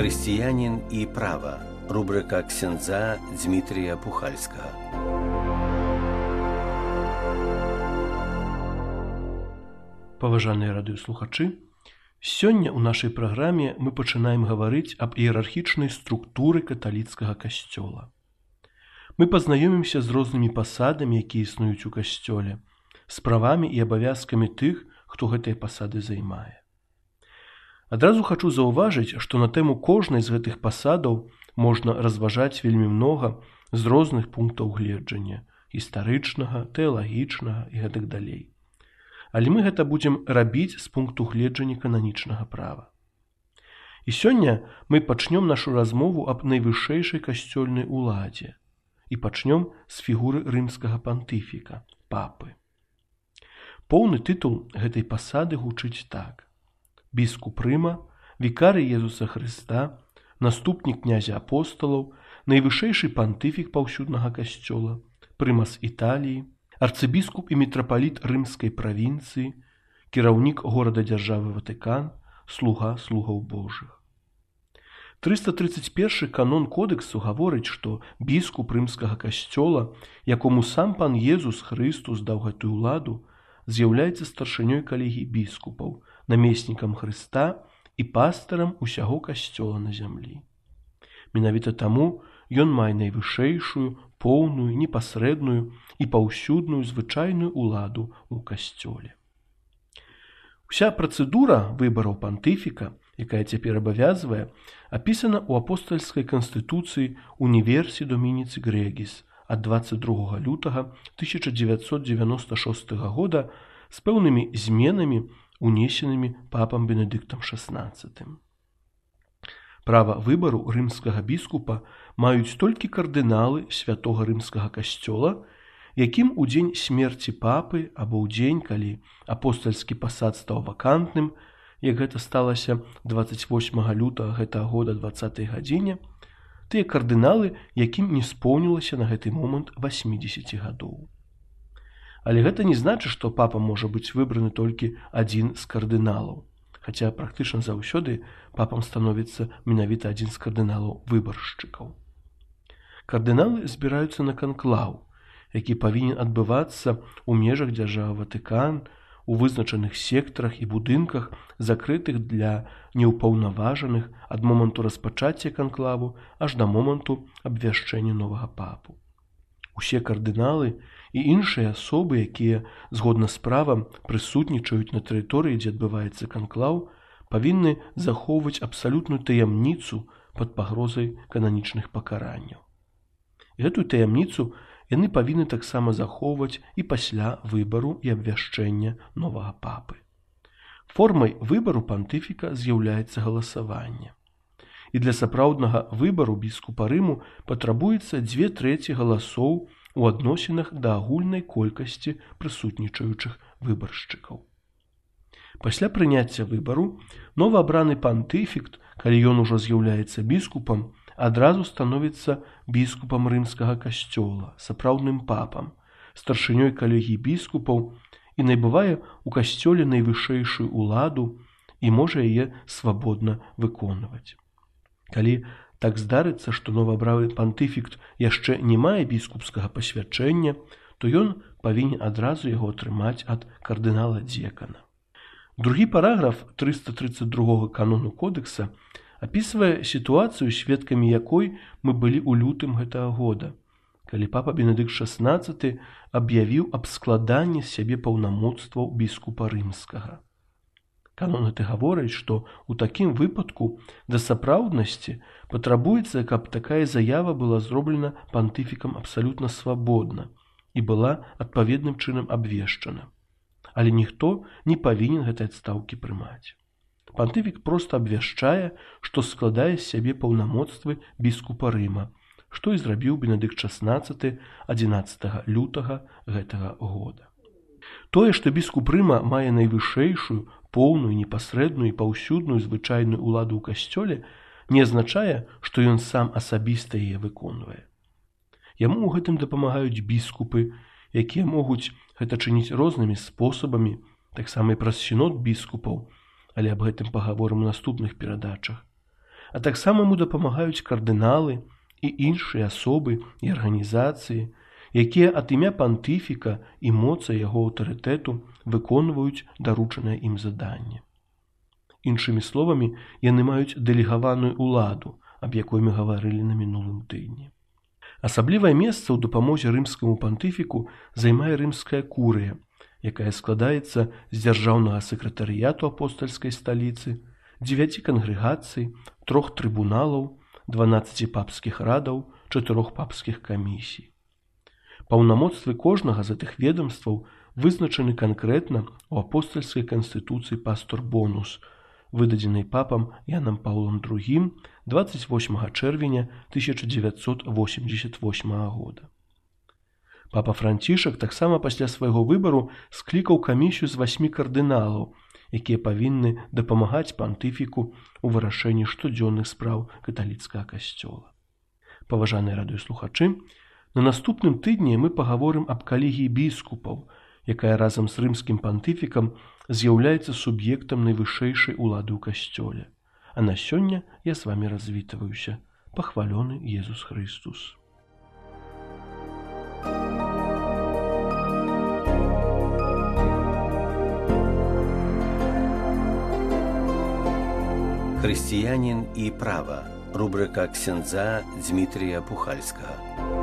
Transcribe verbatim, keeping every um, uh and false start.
Християнин и право. Рубрика ксяндза Дмитрия Пухальского. Паважаныя радыёслухачы, сёння ў нашай праграме мы пачынаем гаварыць аб іерархічнай структуры каталіцкага касцёла. Мы пазнаёмімся з рознымі пасадамі, якія існуюць у касцёле, з правамі і абавязкамі тых, хто гэтыя пасады займае. Адразу хачу заўважыць, што на тэму кожнай з гэтых пасадаў можна разважаць вельмі многа з розных пунктаў гледжання – гістарычнага, тэалагічнага і гэтак далей. Але мы гэта будзем рабіць з пункту гледжання кананічнага права. І сёння мы пачнём нашу размову аб найвышэйшай касцёльнай уладзе і пачнём з фігуры рымскага пантыфіка – папы. Поўны тытул гэтай пасады гучыць так: біскуп Рыма, вікарый Езуса Хрыста, наступнік князя апосталаў, найвышэйшы пантыфік паўсюднага касцёла, прымас Італіі, арцыбіскуп і мітрапаліт рымскай правінцыі, кіраўнік горада-дзяржавы Ватыкан, слуга слугаў Божых. трыста трыццаць першы канон кодэксу гаворыць, што біскуп рымскага касцёла, якому сам пан Езус Хрыстус даў гэтую ўладу, з'яўляецца старшынёй калегіі біскупаў, намеснікам Хрыста і пастарам усяго касцёла на зямлі. Менавіта таму ён мае найвышэйшую, поўную, непасрэдную і паўсюдную звычайную ўладу ў касцёле. Уся працэдура выбараў пантыфіка, якая цяпер абавязвае, апісана ў апостальскай канстытуцыі «Універсі Домініці Грегіс» ад дваццаць другога лютага тысяча дзевяцьсот дзевяноста шостага года з пэўнымі зменамі, унесенымі папам Бенедыктам шаснаццатым. Права выбару рымскага біскупа маюць толькі кардыналы святога рымскага касцёла, якім у дзень смерці папы або ў дзень, калі апостальскі пасад стаў вакантным, як гэта сталася дваццаць восьмага лютага гэтага года дваццатай гадзіне, тыя кардыналы, якім не споўнілася на гэты момант васьмідзесят гадоў. Але гэта не значыць, што папа можа быць выбраны толькі адзін з кардыналаў, хаця практычна заўсёды папам становіцца менавіта адзін з кардыналаў-выбаршчыкаў. Кардыналы збіраюцца на канклаў, які павінен адбывацца ў межах дзяржавы Ватыкан, у вызначаных сектарах і будынках, закрытых для неўпаўнаважаных ад моманту распачацця канклаву аж да моманту абвяшчэння новага папу. Усе кардыналы і іншыя асобы, якія, згодна з правам, прысутнічаюць на тэрыторыі, дзе адбываецца канклаў, павінны захоўваць абсалютную таямніцу пад пагрозай кананічных пакаранняў. Гэтую таямніцу яны павінны таксама захоўваць і пасля выбару і абвяшчэння новага папы. Формай выбару пантыфіка з'яўляецца галасаванне. І для сапраўднага выбару біскупа Рыму патрабуецца дзве трэці галасоў у адносінах да агульнай колькасці прысутнічаючых выбаршчыкаў. Пасля прыняцця выбару новаабраны пантыфік, калі ён ужо з'яўляецца біскупам, адразу становіцца біскупам рымскага касцёла, сапраўдным папам, старшынёй калегіі біскупаў і набывае ў касцёле найвышэйшую ўладу і можа яе свабодна выконваць. Калі так здарыцца, што новаабраны пантыфік яшчэ не мае біскупскага пасвячэння, то ён павінен адразу яго атрымаць ад кардынала-дзекана. Другі параграф трыста трыццаць другога канону кодэкса апісвае сітуацыю, сведкамі якой мы былі ў лютым гэтага года, калі папа Бенедыкт шаснаццаты аб'явіў аб складанні з сябе паўнамоцтваў біскупа рымскага. Канон гэты гаворыць, што ў такім выпадку да сапраўднасці патрабуецца, каб такая заява была зроблена пантыфікам абсалютна свабодна і была адпаведным чынам абвешчана. Але ніхто не павінен гэтай адстаўкі прымаць. Пантыфік проста абвяшчае, што складае з сябе паўнамоцтвы біскупа Рыма, што і зрабіў Бенедыкт шаснаццаты адзінаццатага лютага гэтага года. Тое, што біскуп Рыма мае найвышэйшую, поўную, непасрэдную і паўсюдную звычайную ўладу ў касцёле, не азначае, што ён сам асабіста яе выконвае. Яму ў гэтым дапамагаюць біскупы, якія могуць гэта чыніць рознымі спосабамі, таксама і праз сінод біскупаў, але аб гэтым пагаворым у наступных перадачах. а таксама яму дапамагаюць кардыналы і іншыя асобы і арганізацыі, якія ад імя пантыфіка і моцы яго аўтарытэту выконваюць даручанае ім заданне. Іншымі словамі, яны маюць дэлегаваную ўладу, аб якой мы гаварылі на мінулым тыдні. Асаблівае месца ў дапамозе рымскаму пантыфіку займае рымская курыя, якая складаецца з дзяржаўнага сакратарыяту апостальскай сталіцы, дзевяці кангрэгацый, трох трыбуналаў, дванаццаці папскіх радаў, чатырох папскіх камісій. Паўнамоцтвы кожнага з гэтых ведамстваў вызначаны канкрэтна ў апостальскай канстытуцыі Пастор Бонус, выдадзенай папам Янам Паўлам другім дваццаць восьмага чэрвеня тысяча дзевяцьсот восемьдесят восьмага года. Папа Францішак таксама пасля свайго выбару склікаў камісію з васьмі кардыналаў, якія павінны дапамагаць пантыфіку ў вырашэнні штодзённых спраў каталіцкага касцёла. Паважаныя радыёслухачы, на наступным тыдні мы пагаворым аб калегіі біскупаў, якая разам з рымскім пантыфікам з'яўляецца суб'ектам найвышэйшай улады ў касцёле. А на сёння я з вамі развітваюся. Пахвалёны Езус Хрыстус. Хрысціянін і права. Рубрика ксяндза Дзмітрія Пухальскага.